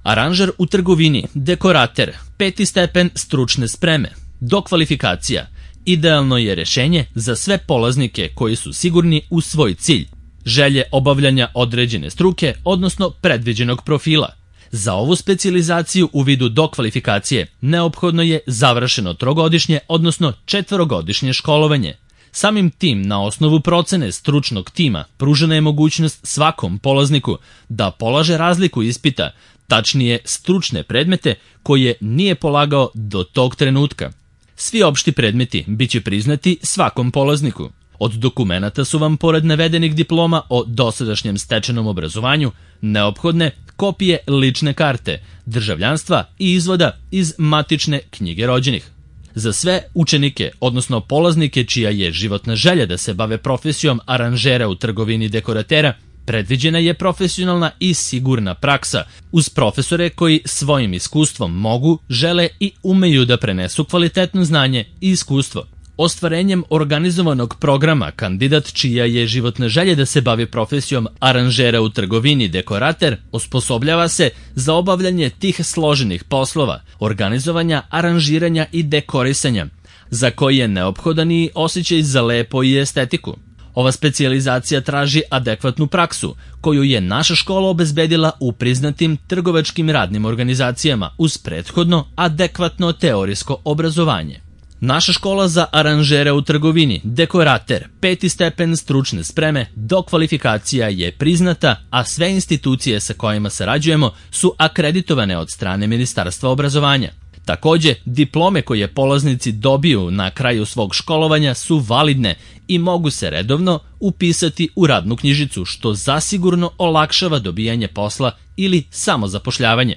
Aranžer u trgovini, dekorater, 5. stepen stručne spreme, dokvalifikacija. Idealno je rješenje za sve polaznike koji su sigurni u svoj cilj, želje obavljanja određene struke, odnosno predviđenog profila. Za ovu specijalizaciju u vidu dokvalifikacije neophodno je završeno 3-godišnje, odnosno 4-godišnje školovanje. Samim tim, na osnovu procene stručnog tima, pružena je mogućnost svakom polazniku da polaže razliku ispita, tačnije stručne predmete koje nije polagao do tog trenutka. Svi opšti predmeti biće priznati svakom polazniku. Od dokumenata su vam, pored navedenih diploma o dosadašnjem stečenom obrazovanju, neophodne kopije lične karte, državljanstva i izvoda iz matične knjige rođenih. Za sve učenike, odnosno polaznike čija je životna želja da se bave profesijom aranžera u trgovini dekoratera, predviđena je profesionalna i sigurna praksa uz profesore koji svojim iskustvom mogu, žele i umeju da prenesu kvalitetno znanje i iskustvo. Ostvarenjem organizovanog programa kandidat čija je životna želja da se bavi profesijom aranžera u trgovini dekorater osposobljava se za obavljanje tih složenih poslova, organizovanja, aranžiranja i dekorisanja, za koji je neophodan i osjećaj za lepo i estetiku. Ova specijalizacija traži adekvatnu praksu, koju je naša škola obezbedila u priznatim trgovačkim radnim organizacijama uz prethodno adekvatno teorijsko obrazovanje. Naša škola za aranžere u trgovini, dekorater, 5. stepen stručne spreme, dokvalifikacija je priznata, a sve institucije sa kojima sarađujemo su akreditovane od strane Ministarstva obrazovanja. Takođe, diplome koje polaznici dobiju na kraju svog školovanja su validne i mogu se redovno upisati u radnu knjižicu, što zasigurno olakšava dobijanje posla ili samozapošljavanje.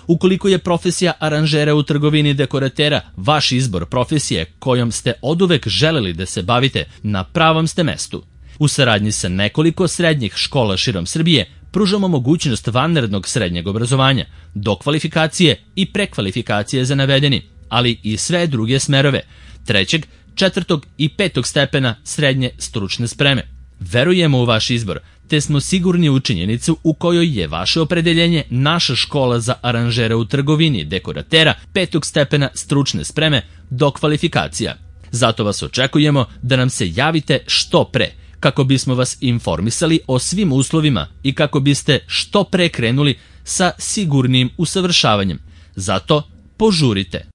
Ukoliko je profesija aranžera u trgovini dekoratera vaš izbor profesije kojom ste oduvek želeli da se bavite, na pravom ste mestu. U saradnji sa nekoliko srednjih škola širom Srbije pružamo mogućnost vanrednog srednjeg obrazovanja, dokvalifikacije i prekvalifikacije za navedeni, ali i sve druge smerove, 3., 4. i 5. stepena srednje stručne spreme. Verujemo u vaš izbor, te smo sigurni u činjenicu u kojoj je vaše opredeljenje naša škola za aranžere u trgovini dekoratera 5. stepena stručne spreme, dokvalifikacija. Zato vas očekujemo da nam se javite što pre, kako bismo vas informisali o svim uslovima i kako biste što pre krenuli sa sigurnim usavršavanjem. Zato požurite.